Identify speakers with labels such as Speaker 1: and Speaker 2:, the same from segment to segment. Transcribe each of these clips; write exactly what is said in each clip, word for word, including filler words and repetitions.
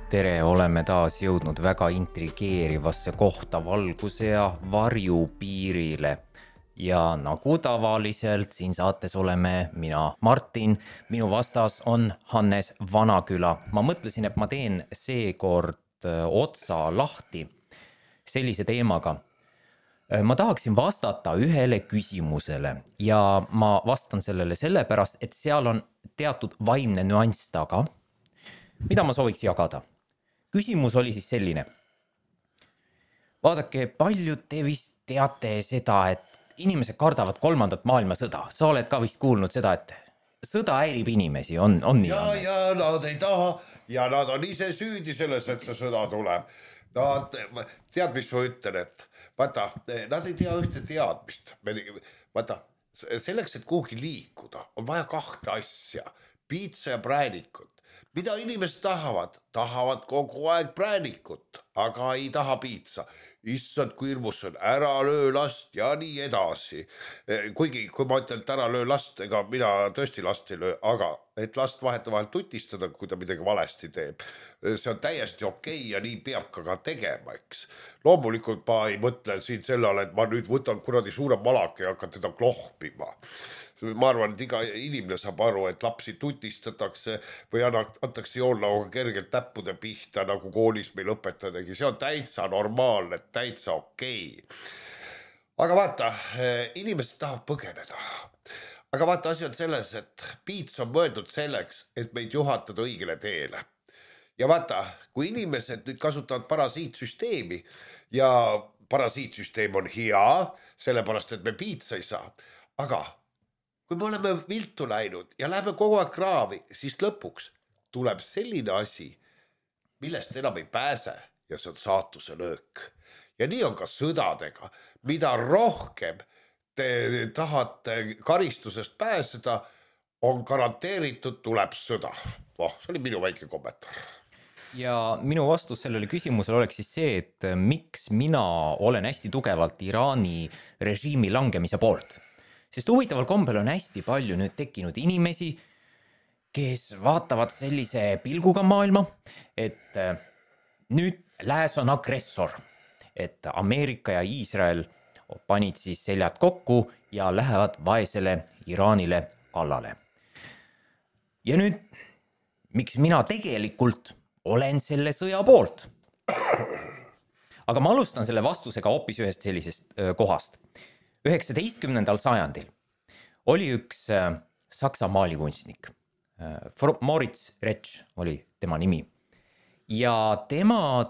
Speaker 1: Tere, oleme taas jõudnud väga intrigeerivasse kohta valguse ja varju piirile. Ja nagu tavaliselt siin saates oleme mina, Martin, minu vastas on Hannes Vanaküla. Ma mõtlesin, et ma teen seekord otsa lahti sellise teemaga. Ma tahaksin vastata ühele küsimusele ja ma vastan sellele sellepärast, et seal on teatud vaimne nüanss taga, mida ma sooviks jagada. Küsimus oli siis selline. Vaadake, paljud te vist teate seda, et inimesed kardavad kolmandat maailmasõda. Sa oled ka vist kuulnud seda, et sõda häirib inimesi, on, on nii?
Speaker 2: Ja, ja nad ei taha ja nad on ise süüdi selles, et see sõda tuleb. Nad, tead, mis ma ütlen, et vaata, nad ei tea ühte teadmist. Vaata, selleks, et kuhugi liikuda, on vaja kahte asja. Piitsa ja präänikut. Mida inimesed tahavad? Tahavad kogu aeg präänikut, aga ei taha piitsa. Issand, kui hirmus on, ära löö last ja nii edasi. Kuigi, kui ma ütlen, et ära löö last, ega mina tõesti last ei löö, aga et last vahetavahel tutistada, kui ta midagi valesti teeb. See on täiesti okei ja nii peab ka tegema, eks. Loomulikult ma ei mõtle siin sellele, et ma nüüd võtan kuradi suure malake ja hakkan teda klohpima. Ma arvan, et iga inimene saab aru, et lapsi tutistatakse või antakse joonlauga kergelt täppude pihta, nagu koolis meil õpetajadegi. See on täitsa normaalne, täitsa okei. Aga vaata, inimesed tahavad põgeneda. Aga vaata, asi on selles, et piits on mõeldud selleks, et meid juhatada õigele teele. Ja vaata, kui inimesed nüüd kasutavad parasiitsüsteemi ja parasiitsüsteem on hea, sellepärast, et me piitsa ei saa, aga kui me oleme viltu läinud ja läheme kogu aeg kraavi, siis lõpuks tuleb selline asi, millest enam ei pääse ja see on saatuse löök. Ja nii on ka sõdadega. Mida rohkem te tahate karistusest pääseda, on garanteeritud tuleb sõda. Oh, see oli minu väike kommentaar.
Speaker 1: Ja minu vastus sellele küsimusele oleks siis see, et miks mina olen hästi tugevalt Iraani režiimi langemise poolt. Sest huvitaval kombel on hästi palju nüüd tekkinud inimesi, kes vaatavad sellise pilguga maailma, et nüüd lääs on agressor, et Ameerika ja Iisrael panid siis seljad kokku ja lähevad vaesele Iraanile kallale. Ja nüüd, miks mina tegelikult olen selle sõja poolt? Aga ma alustan selle vastusega hoopis ühest sellisest kohast. üheksateistkümnendal sajandil oli üks saksa maalikunstnik. Moritz Retsch oli tema nimi. Ja tema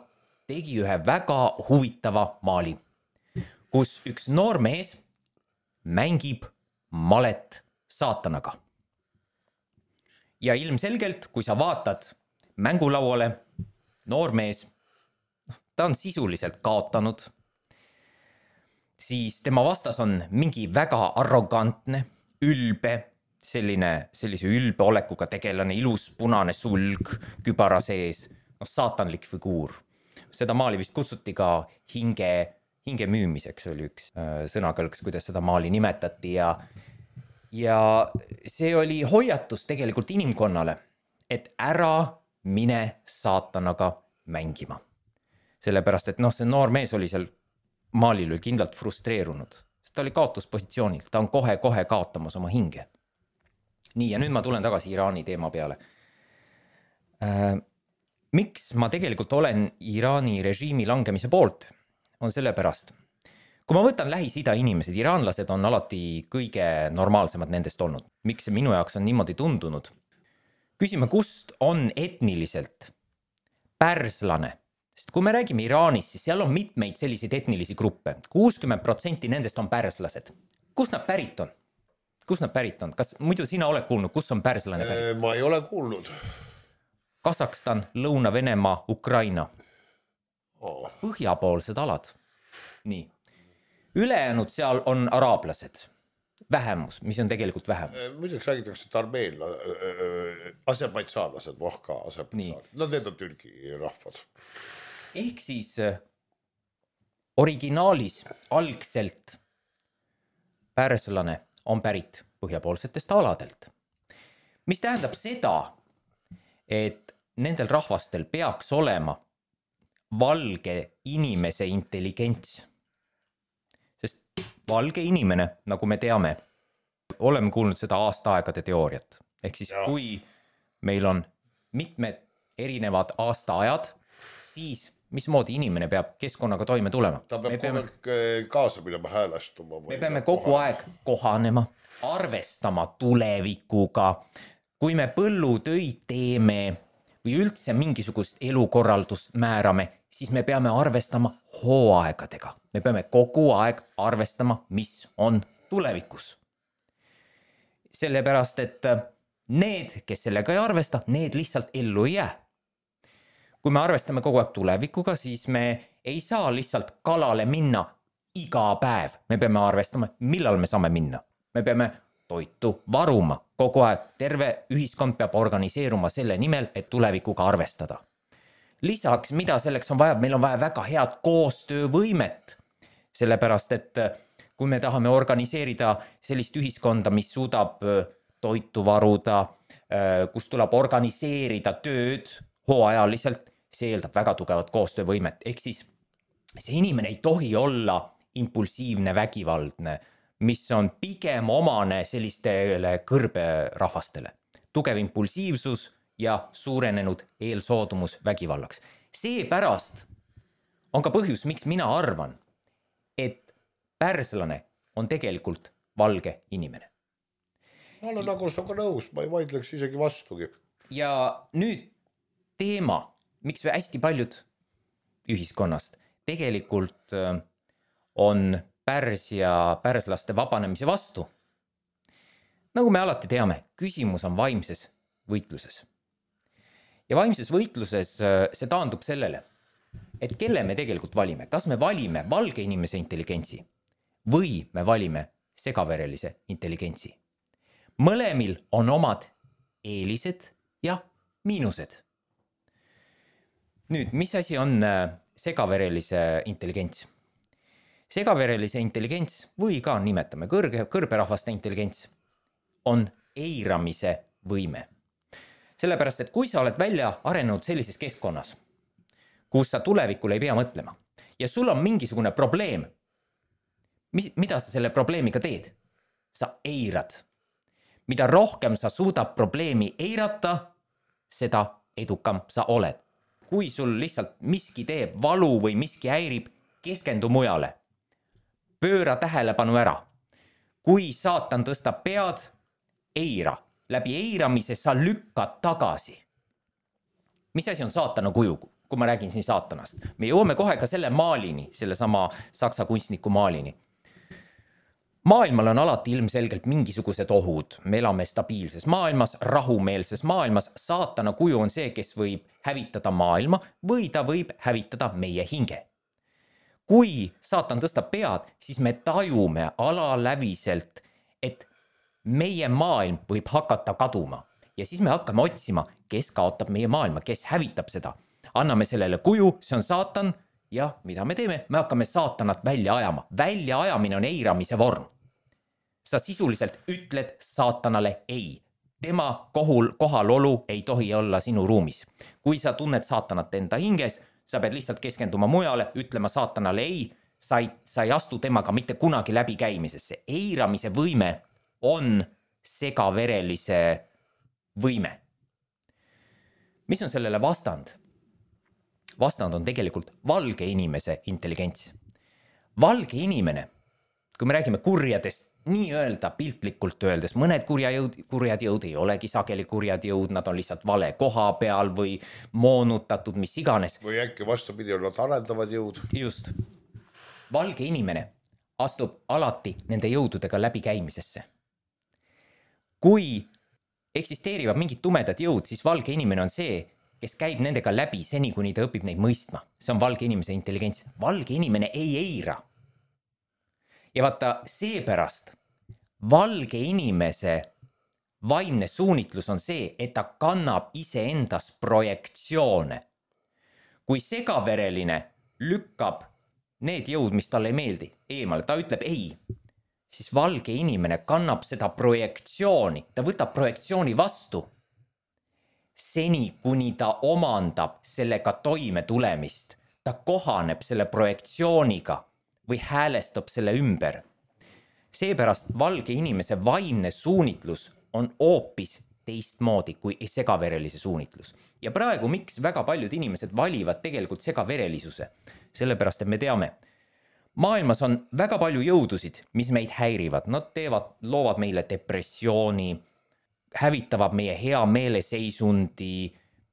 Speaker 1: tegi ühe väga huvitava maali, kus üks noor mees mängib malet saatanaga. Ja ilmselgelt, kui sa vaatad mängulauale, noor mees, ta on sisuliselt kaotanud, siis tema vastas on mingi väga arrogantne, ülbe, selline, sellise ülbe olekuga tegelane, ilus punane sulg, kübara sees, no, saatanlik figuur. Seda maali vist kutsuti ka hinge, hinge müümiseks, oli üks äh, sõnakõlks, kuidas seda maali nimetati. Ja, ja see oli hoiatus tegelikult inimkonnale, et ära mine saatanaga mängima. Sellepärast, et noh, see noor mees oli seal maalil oli kindlalt frustreerunud, sest ta oli kaotuspositsioonil, ta on kohe-kohe kaotamas oma hinge. Nii, ja nüüd ma tulen tagasi Iraani teema peale. Äh, miks ma tegelikult olen Iraani režiimi langemise poolt, on sellepärast. Kui ma võtan Lähis-Ida inimesed, iraanlased on alati kõige normaalsemad nendest olnud. Miks see minu jaoks on niimoodi tundunud? Küsime, kust on etniliselt pärslane? Sest kui me räägime Iraanist, siis seal on mitmeid selliseid etnilisi gruppe. kuuskümmend protsenti nendest on pärslased. Kus nad pärit on? Kus nad pärit on? Kas muidu sina oled kuulnud, kus on pärslane pärit?
Speaker 2: Ma ei ole kuulnud.
Speaker 1: Kasakstan, Lõuna-Venemaa, Ukraina.
Speaker 2: Oh.
Speaker 1: Põhjapoolsed alad. Nii. Ülejäänud seal on araablased. Vähemus, mis on tegelikult vähemus.
Speaker 2: Muideks räägitakse, et armeel, aserbaidsaanlased, vohka aserbaidsaanlased. No need on Türgi rahvad.
Speaker 1: Ehk siis originaalis algselt pärslane on pärit põhjapoolsetest aladelt. Mis tähendab seda, et nendel rahvastel peaks olema valge inimese intelligents. Sest valge inimene, nagu me teame, oleme kuulnud seda aastaaegade teooriat. Ehk siis ja. Kui meil on mitmed erinevad aastaajad, siis mismoodi inimene peab keskkonnaga toime tulema?
Speaker 2: Ta peab kogu aeg kaasa minema häälestuma.
Speaker 1: Me peame kogu aeg kohanema, arvestama tulevikuga. Kui me põllutöid teeme või üldse mingisugust elukorraldust määrame, siis me peame arvestama hooaegadega. Me peame kogu aeg arvestama, mis on tulevikus. Sellepärast, et need, kes sellega ei arvesta, need lihtsalt ellu ei jää. Kui me arvestame kogu aeg tulevikuga, siis me ei saa lihtsalt kalale minna iga päev. Me peame arvestama, millal me saame minna. Me peame toitu varuma. Kogu aeg terve ühiskond peab organiseeruma selle nimel, et tulevikuga arvestada. Lisaks, mida selleks on vaja? Meil on vaja väga head koostöövõimet. Sellepärast, et kui me tahame organiseerida sellist ühiskonda, mis suudab toitu varuda, kus tuleb organiseerida tööd hooajaliselt, see eeldab väga tugevat koostöövõimet. Ehk siis see inimene ei tohi olla impulsiivne, vägivaldne, mis on pigem omane sellistele kõrberahvastele. Tugev impulsiivsus ja suurenenud eelsoodumus vägivallaks. Seepärast on ka põhjus, miks mina arvan, et pärslane on tegelikult valge inimene.
Speaker 2: Ma olen nagu sinuga nõus, ma ei vaidleks isegi vastugi.
Speaker 1: Ja nüüd teema, miks hästi paljud ühiskonnast tegelikult on Pärsia pärslaste vabanemise vastu. Nagu me alati teame, küsimus on vaimses võitluses. Ja vaimses võitluses see taandub sellele, et kelle me tegelikult valime. Kas me valime valge inimese intelligentsi või me valime segaverelise intelligentsi? Mõlemil on omad eelised ja miinused. Nüüd, mis asi on segaverelise intelligents? Segaverelise intelligents või ka nimetame kõrge, kõrberahvaste intelligents on eiramise võime. Sellepärast, et kui sa oled välja arenenud sellises keskkonnas, kus sa tulevikule ei pea mõtlema ja sul on mingisugune probleem, mis, mida sa selle probleemiga teed? Sa eirad. Mida rohkem sa suudab probleemi eirata, seda edukam sa oled. Kui sul lihtsalt miski teeb valu või miski häirib, keskendu mujale. Pööra tähelepanu ära. Kui saatan tõstab pead, eira. Läbi eiramise sa lükkad tagasi. Mis asi on saatana kuju, kui ma räägin siin saatanast? Me jõuame kohe ka selle maalini, selle sama saksa kunstniku maalini. Maailmal on alati ilmselgelt mingisugused ohud. Me elame stabiilses maailmas, rahumeelses maailmas. Saatana kuju on see, kes võib hävitada maailma või ta võib hävitada meie hinge. Kui saatan tõstab pead, siis me tajume alaläviselt, et meie maailm võib hakata kaduma. Ja siis me hakkame otsima, kes kaotab meie maailma, kes hävitab seda. Anname sellele kuju, see on saatan. Ja mida me teeme? Me hakkame saatanat välja ajama. Välja ajamine on eiramise vorm. Sa sisuliselt ütled saatanale ei. Tema kohul, kohalolu ei tohi olla sinu ruumis. Kui sa tunned saatanat enda hinges, sa pead lihtsalt keskenduma mujale, ütlema saatanale ei, sa ei, sa ei astu temaga mitte kunagi läbi käimisesse. Eiramise võime on segaverelise võime. Mis on sellele vastand? Vastand on tegelikult valge inimese intelligents. Valge inimene, kui me räägime kurjadest, nii öelda piltlikult öeldes, mõned kurja jõud, kurjad jõud ei olegi sageli kurjad jõud, nad on lihtsalt vale koha peal või moonutatud, mis iganes.
Speaker 2: Või äkki vastupidi, nad arendavad jõud.
Speaker 1: Just. Valge inimene astub alati nende jõududega läbi käimisesse. Kui eksisteerivad mingid tumedad jõud, siis valge inimene on see, kes käib nendega läbi seni, kuni ta õpib neid mõistma. See on valge inimese intelligents. Valge inimene ei eira. Ja vaata, seepärast valge inimese vaimne suunitlus on see, et ta kannab iseendas projektsioone. Kui segavereline lükkab need jõud, mis talle ei meeldi, eemale, ta ütleb ei, siis valge inimene kannab seda projektsiooni, ta võtab projektsiooni vastu. seni kuni ta omandab sellega toime tulemist, ta kohaneb selle projektsiooniga või häälestab selle ümber. Seepärast valge inimese vaimne suunitlus on hoopis teistmoodi kui segaverelise suunitlus. Ja praegu miks väga paljud inimesed valivad tegelikult segaverelisuse? Sellepärast, et me teame, maailmas on väga palju jõudusid, mis meid häirivad. Nad teevad, loovad meile depressiooni, hävitavad meie hea meeleseisundi,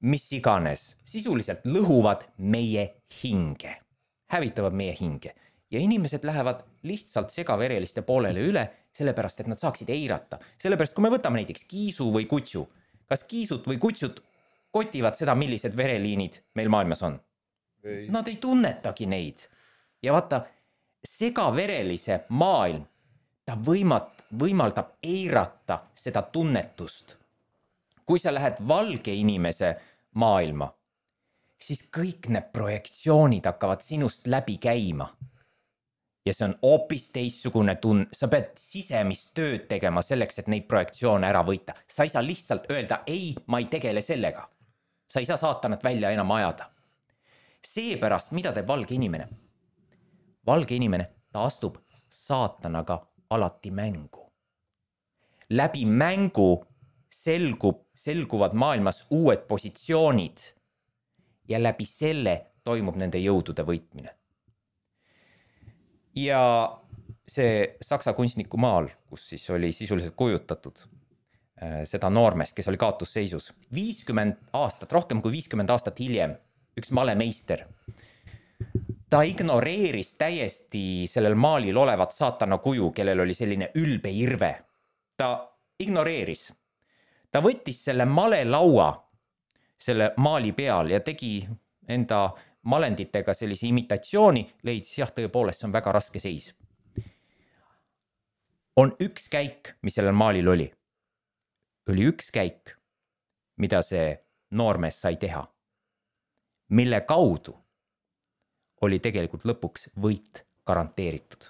Speaker 1: mis iganes. Sisuliselt lõhuvad meie hinge, hävitavad meie hinge. Ja inimesed lähevad lihtsalt segavereliste poolele üle, sellepärast, et nad saaksid eirata. Sellepärast, kui me võtame näiteks kiisu või kutsu, kas kiisut või kutsut kotivad seda, millised vereliinid meil maailmas on? Ei. Nad ei tunnetagi neid. Ja vaata, segaverelise maailm, ta võimat, võimaldab eirata seda tunnetust. Kui sa lähed valge inimese maailma, siis kõik need projektsioonid hakkavad sinust läbi käima. Ja see on hoopis teissugune tun-, sa pead sisemist tööd tegema selleks, et neid projektsioone ära võita. Sa ei saa lihtsalt öelda, ei, ma ei tegele sellega. Sa ei saa saatanat välja enam ajada. Seepärast, mida teeb valge inimene? Valge inimene, ta astub saatanaga alati mängu. Läbi mängu selgub, selguvad maailmas uued positsioonid ja läbi selle toimub nende jõudude võitmine. Ja see saksa kunstniku maal, kus siis oli sisuliselt kujutatud seda noormest, kes oli kaotusseisus. viiskümmend aastat, rohkem kui viiskümmend aastat hiljem, üks malemeister. Ta ignoreeris täiesti sellel maalil olevat saatana kuju, kellel oli selline ülbe irve. Ta ignoreeris. Ta võttis selle malelaua selle maali peal ja tegi enda malenditega sellise imitatsiooni, leidis, jah, tõepoolest, see on väga raske seis. On üks käik, mis sellel maalil oli. Oli üks käik, mida see noormees sai teha, mille kaudu oli tegelikult lõpuks võit garanteeritud.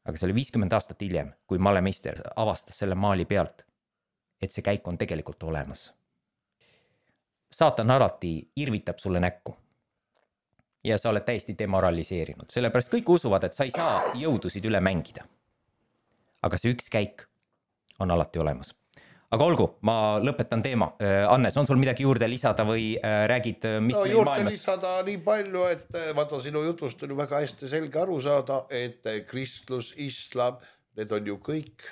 Speaker 1: Aga see oli viiskümmend aastat hiljem, kui malemeister avastas selle maali pealt, et see käik on tegelikult olemas. Saatan alati irvitab sulle näkku ja sa oled täiesti demoraliseerinud. Sellepärast kõik usuvad, et sa ei saa jõudusid üle mängida. Aga see üks käik on alati olemas. Aga olgu, ma lõpetan teema. Annes, on sul midagi juurde lisada või räägid, mis
Speaker 2: no,
Speaker 1: meil
Speaker 2: juurde
Speaker 1: maailmas?
Speaker 2: Lisada nii palju, et vaata sinu jutust on ju väga hästi selge aru saada, et kristlus, islam, need on ju kõik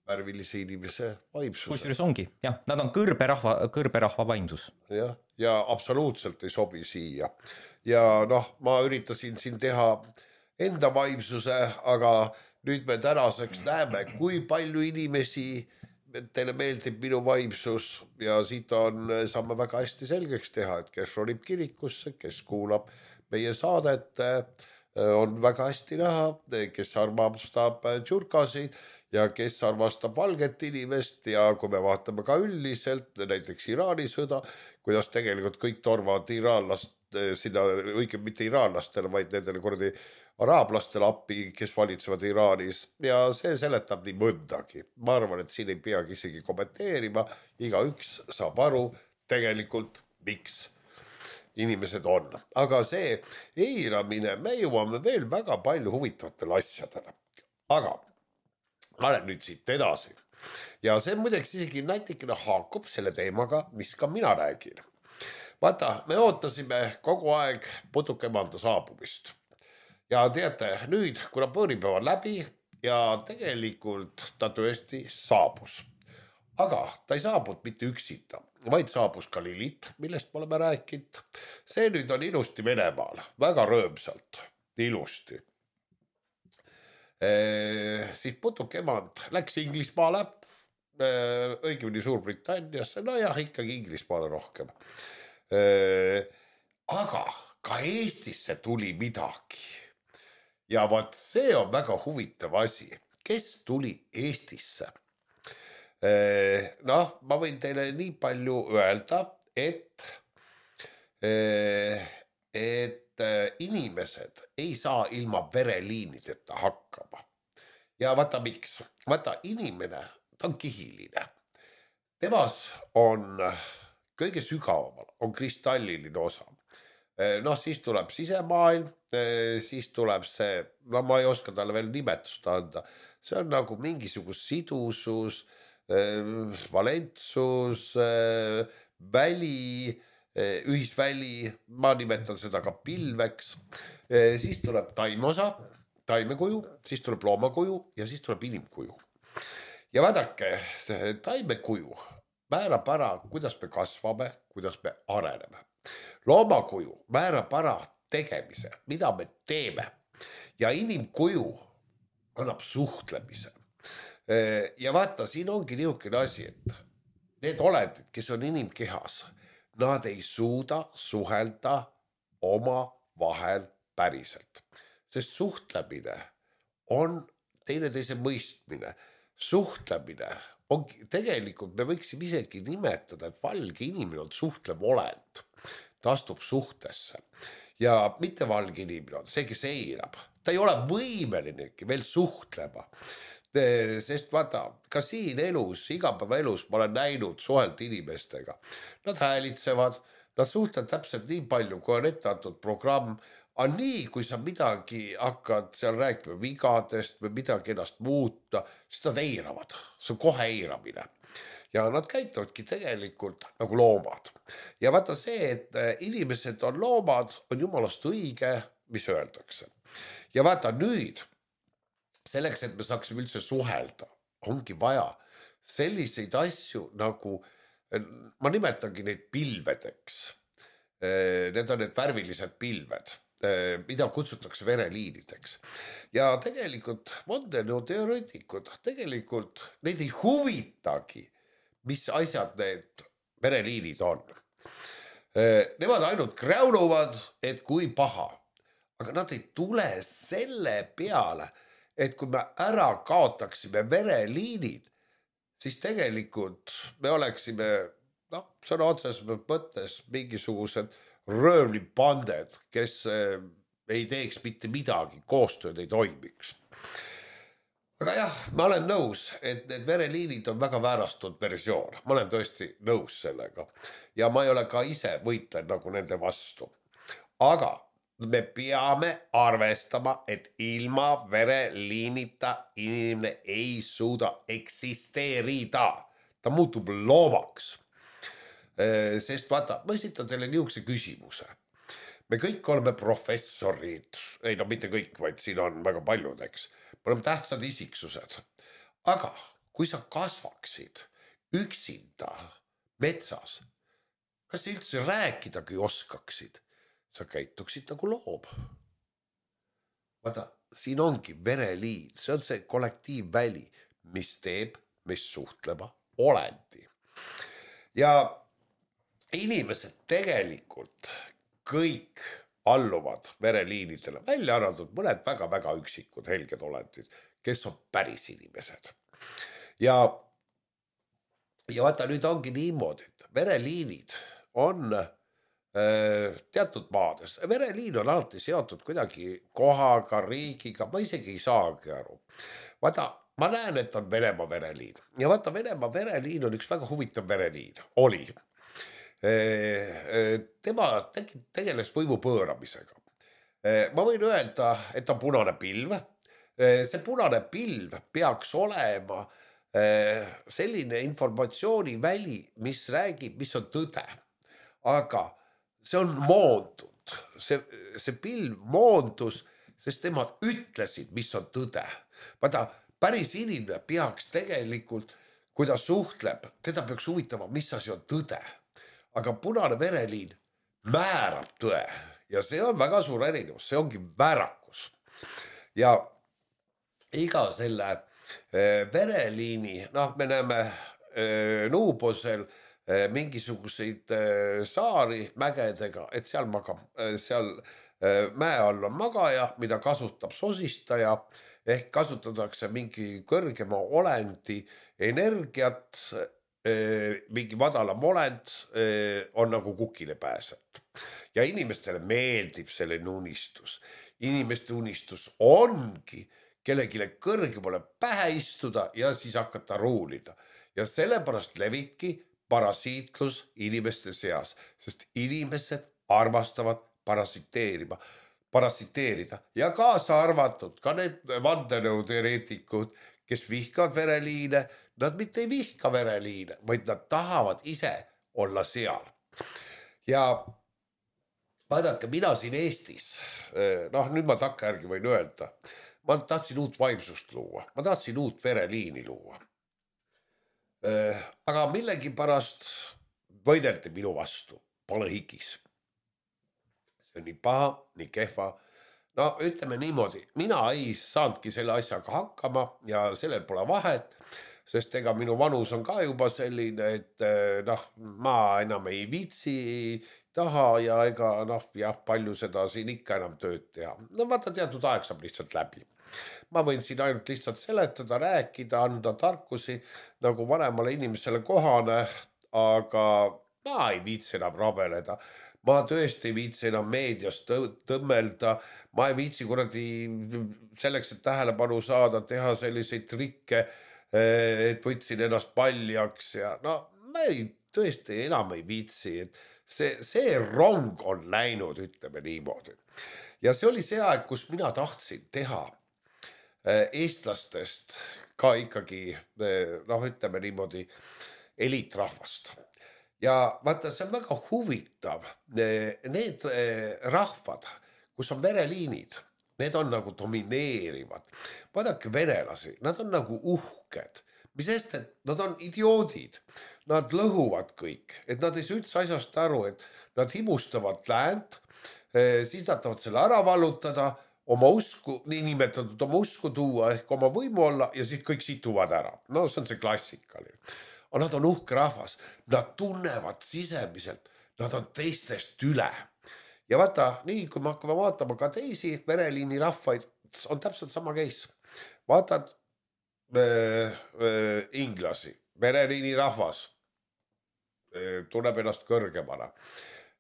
Speaker 2: värvilise inimese vaimsuse.
Speaker 1: Kusjuures ongi, jah, nad on kõrberahva, kõrberahva vaimsus.
Speaker 2: Ja, ja absoluutselt ei sobi siia. Ja noh, ma üritasin siin teha enda vaimsuse, aga nüüd me tänaseks näeme, kui palju inimesi teile meeldib minu vaimsus ja siit on, saame väga hästi selgeks teha, et kes ronib kirikusse, kes kuulab meie saadet, on väga hästi näha, kes armastab tšurkasid ja kes armastab valget inimest ja kui me vaatame ka üldiselt, näiteks Iraani sõda, kuidas tegelikult kõik torvavad iraanlast sinna, õige mitte iraanlastele, vaid nendele kordi araablastele appi, kes valitsevad Iraanis ja see seletab nii mõndagi. Ma arvan, et siin ei peagi isegi kommenteerima, iga üks saab aru tegelikult, miks inimesed on. Aga see eiramine, me jõuame veel väga palju huvitavatele asjadele. Aga ma olen nüüd siit edasi. Ja see muideks isegi natikene haakub selle teemaga, mis ka mina räägin. Vaata, me ootasime kogu aeg putukemanda saabumist. Ja teate, nüüd, kuna põõripäev on läbi ja tegelikult ta tõesti saabus. Aga ta ei saabud mitte üksita, vaid saabus ka Lilith, millest me oleme rääkinud. See nüüd on ilusti Venemaal, väga rõõmsalt, ilusti. E, siis putukemand läks Inglismaale, e, õigemini Suurbritanniasse, no jah, ikkagi Inglismaale rohkem. E, aga ka Eestisse tuli midagi. Ja vaat see on väga huvitav asi. Kes tuli Eestisse? Noh, ma võin teile nii palju öelda, et, et inimesed ei saa ilma vereliinideta hakkama. Ja vaata miks? Vaata inimene, ta on kihiline. temas on kõige sügavamal, on kristalliline osa. Noh, siis tuleb sisemaailm, siis tuleb see, no ma ei oska talle veel nimetust anda, see on nagu mingisugus sidusus, valentsus, väli, ühisväli, ma nimetan seda ka pilveks, siis tuleb taimosa, taimekuju, siis tuleb loomakuju ja siis tuleb inimkuju. Ja vaadake, taimekuju määrab ära, kuidas me kasvame, kuidas me areneme. Loomakuju määrab ära tegemise, mida me teeme ja inimkuju annab suhtlemise. Ja vaata, siin ongi niisugune asi, et need olendid, kes on inimkehas, nad ei suuda suhelda oma vahel päriselt, sest suhtlemine on teineteise mõistmine. Suhtlemine on tegelikult, me võiksime isegi nimetada, et valge inimene on suhtlev olend. Ta astub suhtesse ja mitte valge inimene on see, kes eirab. Ta ei ole võimelinegi veel suhtlema. Sest vaata, ka siin elus, igapäeva elus ma olen näinud suhelt inimestega. Nad häälitsevad, nad suhtlevad täpselt nii palju, kui on ette antud programm. Aga nii, kui sa midagi hakkad seal rääkima vigadest või midagi ennast muuta, siis nad eiravad. See on kohe eiramine. Ja nad käitavadki tegelikult nagu loomad. Ja vaata see, et inimesed on loomad, on jumalast õige, mis öeldakse. Ja vaata nüüd, selleks, et me saaksime üldse suhelda, ongi vaja selliseid asju nagu, ma nimetangi neid pilvedeks. Need on need värvilised pilved, mida kutsutakse vereliinideks. Ja tegelikult vandenõuteoreetikud, tegelikult neid ei huvitagi, mis asjad need vereliinid on. Nemad ainult kräunuvad, et kui paha. Aga nad ei tule selle peale, et kui me ära kaotaksime vereliinid, siis tegelikult me oleksime, noh, sõna otseses mõttes mingisugused röövlipanded, kes ei teeks mitte midagi, koostööd ei toimiks. Aga jah, ma olen nõus, et need vereliinid on väga väärastunud versioon. Ma olen tõesti nõus sellega. Ja ma ei ole ka ise võitlen nagu nende vastu. Aga me peame arvestama, et ilma vereliinita inimene ei suuda eksisteerida. Ta muutub loomaks. Sest vaata, ma esitan teile niisuguse küsimuse. Me kõik oleme professorid, ei no mitte kõik, vaid siin on väga paljud, eks. Me oleme tähtsad isiksused. Aga kui sa kasvaksid üksinda metsas, kas üldse rääkidagi oskaksid? Sa käituksid nagu loom. Vaata, siin ongi vereliin, see on see kollektiivväli, mis teeb meist suhtlema olendi. Ja inimesed tegelikult kõik alluvad vereliinidele, välja arvatud mõned väga-väga üksikud helged olendid, kes on päris inimesed. Ja, ja vaata, nüüd ongi niimoodi, et vereliinid on äh, teatud maades. Vereliin on alati seotud kuidagi kohaga, riigiga, ma isegi ei saagi aru. Vaata, ma näen, et on Venemaa vereliin. Ja vaata, Venemaa vereliin on üks väga huvitav vereliin. Oli. Tema tegeles võimu pööramisega. Ma võin öelda, et on punane pilv. See punane pilv peaks olema selline informatsiooniväli, mis räägib, mis on tõde. Aga see on moondud. See, see pilv moondus, sest temad ütlesid, mis on tõde. Vaata, päris inimene peaks tegelikult, kui ta suhtleb, teda peaks huvitama, mis asi on tõde. Aga punane vereliin määrab tõe ja see on väga suur erinevus, see ongi väärakus. Ja iga selle vereliini, noh, me näeme Nuubosel mingisuguseid saari mägedega, et seal, magab, seal mäe all on magaja, mida kasutab sosistaja, ehk kasutatakse mingi kõrgema olendi energiat, mingi madalam olend on nagu kukile pääset. Ja inimestele meeldib selline unistus. Inimeste unistus ongi kellegile kõrgemale pähe istuda ja siis hakata ruulida. ja sellepärast levibki parasiitlus inimeste seas, sest inimesed armastavad parasiteerima, parasiteerida ja kaasa arvatud ka need vandenõuteoreetikud, kes vihkavad vereliine, nad mitte ei vihka vereliine, vaid nad tahavad ise olla seal. Ja vaadake, mina siin Eestis, noh nüüd ma takkajärgi võin öelda, ma tahtsin uut vaimsust luua, ma tahtsin uut vereliini luua. Aga millegi pärast võideldi minu vastu palehikis. See on nii paha, nii kehva. No ütleme niimoodi, mina ei saanudki selle asjaga hakkama ja sellel pole vahet, sest ega minu vanus on ka juba selline, et noh, ma enam ei viitsi, taha ja ega noh, jah, palju seda siin ikka enam tööd teha. No vaata, teatud aeg saab lihtsalt läbi. Ma võin siin ainult lihtsalt seletada, rääkida, anda tarkusi nagu vanemale inimesele kohane, aga ma ei viitsi enam rabeleda. Ma tõesti ei viitsi enam meedias tõmmelda, ma ei viitsi kuradi selleks, et tähelepanu saada, teha selliseid trikke, et võtsin ennast paljaks ja no ma ei, tõesti enam ei viitsi, et see, see rong on läinud, ütleme niimoodi. Ja see oli see aeg, kus mina tahtsin teha eestlastest ka ikkagi, noh ütleme niimoodi, eliitrahvast. Ja vaata, see on väga huvitav, need rahvad, kus on vereliinid, need on nagu domineerivad. Vaadake venelasi, nad on nagu uhked, mis eest, et nad on idioodid, nad lõhuvad kõik, et nad ei saa üldse asjast aru, et nad himustavad läänt, siis nad tahavad selle ära vallutada, oma usku, nii nimetatud oma usku tuua ehk oma võimu olla ja siis kõik situvad ära. No see on see klassikaline. Aga nad on uhke rahvas, nad tunnevad sisemiselt, nad on teistest üle. Ja vaata, nii kui me hakkame vaatama ka teisi vereliini rahvaid, on täpselt sama case. Vaatad äh, äh, inglasi, vereliini rahvas äh, tunneb ennast kõrgemana.